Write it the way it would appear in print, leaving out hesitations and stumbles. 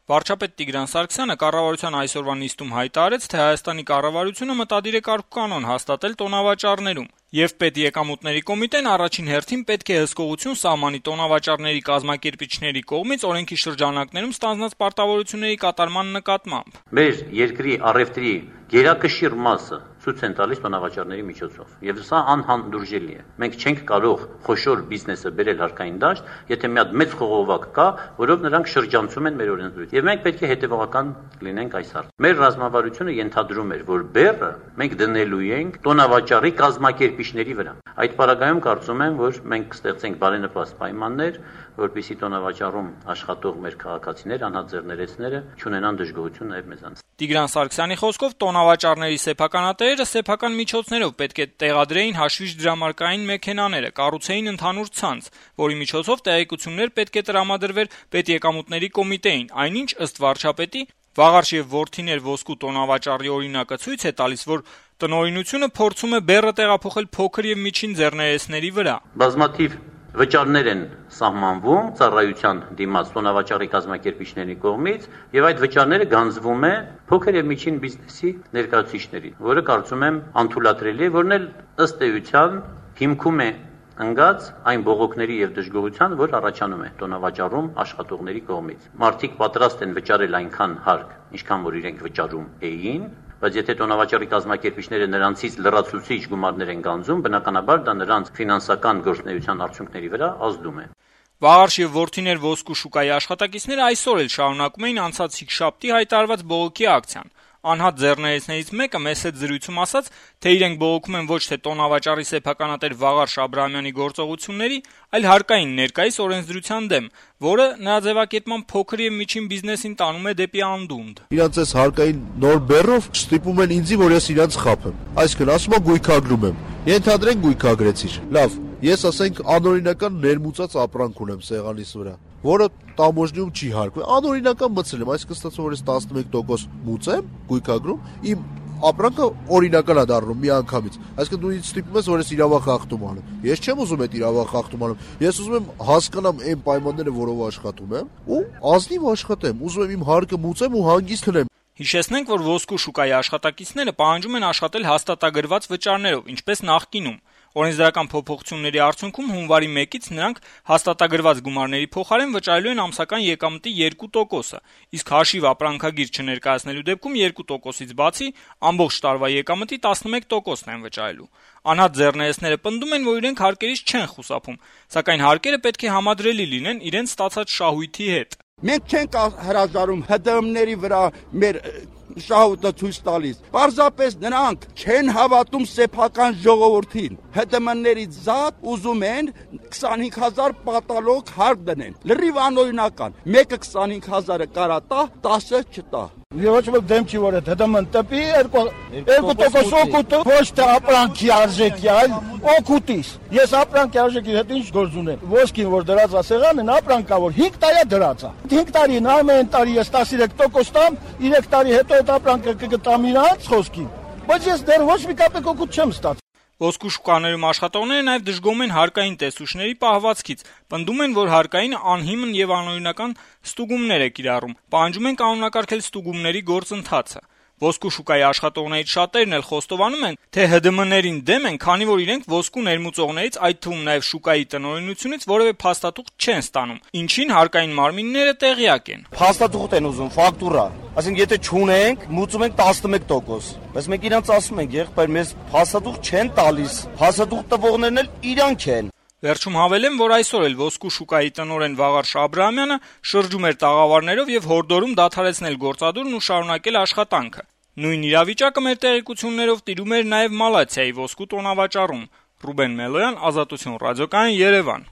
Վարչապետ Տիգրան Սարգսյանը կառավարության այսօրվա նիստում հայտարարեց, թե Հայաստանի կառավարությունը մտադիր է կարգուկանոն հաստատել տոնավաճառներում, եւ Պետեկամուտների կոմիտեն առաջին հերթին պետք է հսկողություն սահմանի տոնավաճառների կազմակերպիչների կողմից օրենքի շրջանակներում ստանձնած պարտավորությունների կատարման նկատմամբ։ Մեր երկրի առևտրի գերակշիռ մասը ցույց են տալիս տոնավաճառների միջոցով, եւ սա անհանդուրժելի է։ Մենք չենք կարող խոշոր բիզնեսը բերել հարկային դաշտ, եթե մի հատ մեծ խողովակ կա, որով նրանք շրջանցում են մեր օրենսդրությունը։ Եվ մենք պետք է հետևողական լինենք այս հարցում։ Մեր ռազմավարությունը ենթադրում էր, որ բեռը մենք դնելու ենք տոնավաճառի կազմակերպիչների վրա։ Այդ պարագայում կարծում եմ, որ մենք կստեղծենք բարենպաստ պայմաններ, որպեսզի տոնավաճառում աշխատող մեր քաղաքացիներ, անհատ ձեռներեցները չունենան դժգոհություն նաև մեզանից։ Տիգրան Սարգսյանի խոսքով տոնավաճառների սեփականատերերը սեփական միջոցներով պետք է տեղադրեին հաշվիչ դրամարկային մեքենաները, կառուցեին ընդհանուր ցանց, որի միջոցով տեղեկություններ պետք է տրամադրվեր Պետեկամուտների կոմիտեին, այնինչ ըստ վարչապետի Վաղարշ եւ Որդիներ ոսկու տոնավաճառի օրինակը ցույց է տալիս, որ տնօրինությունը փորձում է բեռը տեղափոխել փոքր եւ միջին ձեռներեցների վրա։ Բազմաթիվ վճարներ են սահմանվում ծառայության դիմաց տոնավաճառի կազմակերպիչների կողմից եւ այդ վճարները գանձվում է փոքր եւ միջին բիզնեսի ներկայացուցիչներին, որը կարծում եմ անթույլատրելի է, որն էլ ըստ էության հիմքում է ընկած այն բողոքների եւ դժգոհության, որ առաջանում է տոնավաճառում աշխատողների կողմից։ Մարդիկ պատրաստ են վճարել այնքան հարկ, ինչքան որ իրենք վճարում էին, բայց եթե տոնավաճառի կազմակերպիչները նրանցից լրացուցիչ գումարներ են գանձում, բնականաբար դա նրանց ֆինանսական գործունեության արդյունքների վրա ազդում է։ Վաղարշ եւ Որդիներ ոսկու շուկայի աշխատակիցները այսօր էլ շարունակում էին անցած հինգշաբթի հայտարարված բողոքի ակցիան։ Անհատ ձեռներեցներից մեկը մեծ հետ զրույցում ասաց, թե իրենք բողոքում են ոչ թե տոնավաճառի սեփականատեր Վաղարշ Աբրահամյանի գործողությունների, այլ հարկային ներկայիս օրենսդրության դեմ, որը նրա ձևակերպման փոքր եւ միջին բիզնեսին տանում է դեպի անդունդ։ Իրանց այս հարկային նոր բեռով ստիպում են ինձ, որ ես իրանց խափեմ։ Այսինքն ասում եմ գույքագրում եմ։ Ենթադրենք գույքագրեցիր։ Լավ, ես ասենք անօրինական ներմուծած ապրանք ունեմ սեղանիս վրա, որը տամոժնիում չի հարկվում։ Անօրինական մտցել եմ, այսինքն ստացվում որ ես 11% մուծեմ, գույքագրում, իմ ապրանքը օրինական է դառնում միանգամից։ Այսինքն դու ինձ ստիպում ես, որ ես իրավախախտում անեմ։ Ես չեմ ուզում այդ իրավախախտում անեմ։ Ես ուզում եմ հասկանամ այն պայմանները, որով աշխատում եմ, ու ազնիվ աշխատեմ։ Ուզում եմ իմ հարկը մուծեմ ու հանգիստ քնեմ։ Հիշեցնենք, որ ոսկու շուկայի աշխատակիցները պահանջում են աշխատել հաստատագրված վճարներով, ինչպես նախկինում։ Օրենսդրական փոփոխությունների արդյունքում հունվարի 1-ից նրանք հաստատագրված գումարների փոխարեն վճարելու են ամսական եկամտի 2%-ը, իսկ հաշիվ ապրանքագիր չներկայացնելու դեպքում 2%-ից բացի ամբողջ տարվա եկամտի 11%-ն են վճարելու։ Անհատ ձեռներեցները պնդում են, որ իրենք հարկերից չեն խուսափում, սակայն հարկերը պետք է համադրելի լինեն իրենց ստացած շահույթի հետ։ Մենք չենք հրաժարում ՀԴՄ-ների վրա մեր շահույթը ցույց տալիս։ Պարզապես նրանք չեն հավատում սեփական ժողովրդին։ ՀԴՄ-ների զատ ուզում են 25000 պատալոգ հարկ դնեն։ Լրիվ անօրինական։ Մեկը 25000-ը կարա տա, 10-ը չտա։ Ոչ ոք դեմ չի որ ՀԴՄ-ն տպի 2% օգուտը ոչ թե ապրանքի արժեքի, այլ օգուտից։ Ես ապրանքի արժեքի հետ ինչ գործ ունեմ։ Ոսկին որ դրած է սեղանն, ապրանքա որ 5 տարի է դրած է։ 5 տարին ամեն տարի ես 13% տամ, 3 տարի հետո այդ ապրանքը կգտամ իրանց խոսքին։ Բայց ես դեռ ոչ մի կապեկ օգուտ չեմ ստացել։ Ոսկու շուկաներում աշխատողները նաև դժգոհում են հարկային տեսուչների պահվածքից, պնդում են, որ հարկային անհիմն եւ անօրինական ստուգումներ է կիրառում, պահանջում են կանոնակարգել ստուգումների գործընթացը։ Ոսկու շուկայի աշխատողներից շատերն էլ խոստովանում են, թե ՀԴՄ-ներին դեմ են, քանի որ իրենք ոսկու ներմուծողներից, այդ թվում նաև շուկայի տնօրինությունից որևէ փաստաթուղթ չեն ստանում, ինչին հարկային մարմինները տեղյակ են։ Փաստաթուղթ են ուզում, ֆակտուրա։ Այսինքն եթե չունենք, մուծում ենք 11%։ Բայց մենք իրանց ասում ենք, եղբայր, մեզ փաստաթուղթ չեն տալիս։ Փաստաթուղթ տվողներն էլ իրանք են։ Վերջում հավելեմ, որ այսօր էլ ոսկու շուկայի տնօրեն Վաղարշ Աբրահամյանը շրջում էր տաղավարներով եւ հորդորում դադարեցնել գործադուլն ու շարունակել աշխատանքը։ Նույն իրավիճակը մեր տեղեկություններով տիրում էր նաեւ Մալաթիայի ոսկու տոնավաճառում։ Ռուբեն Մելոյան, Ազատություն ռադիոկայան, Երևան։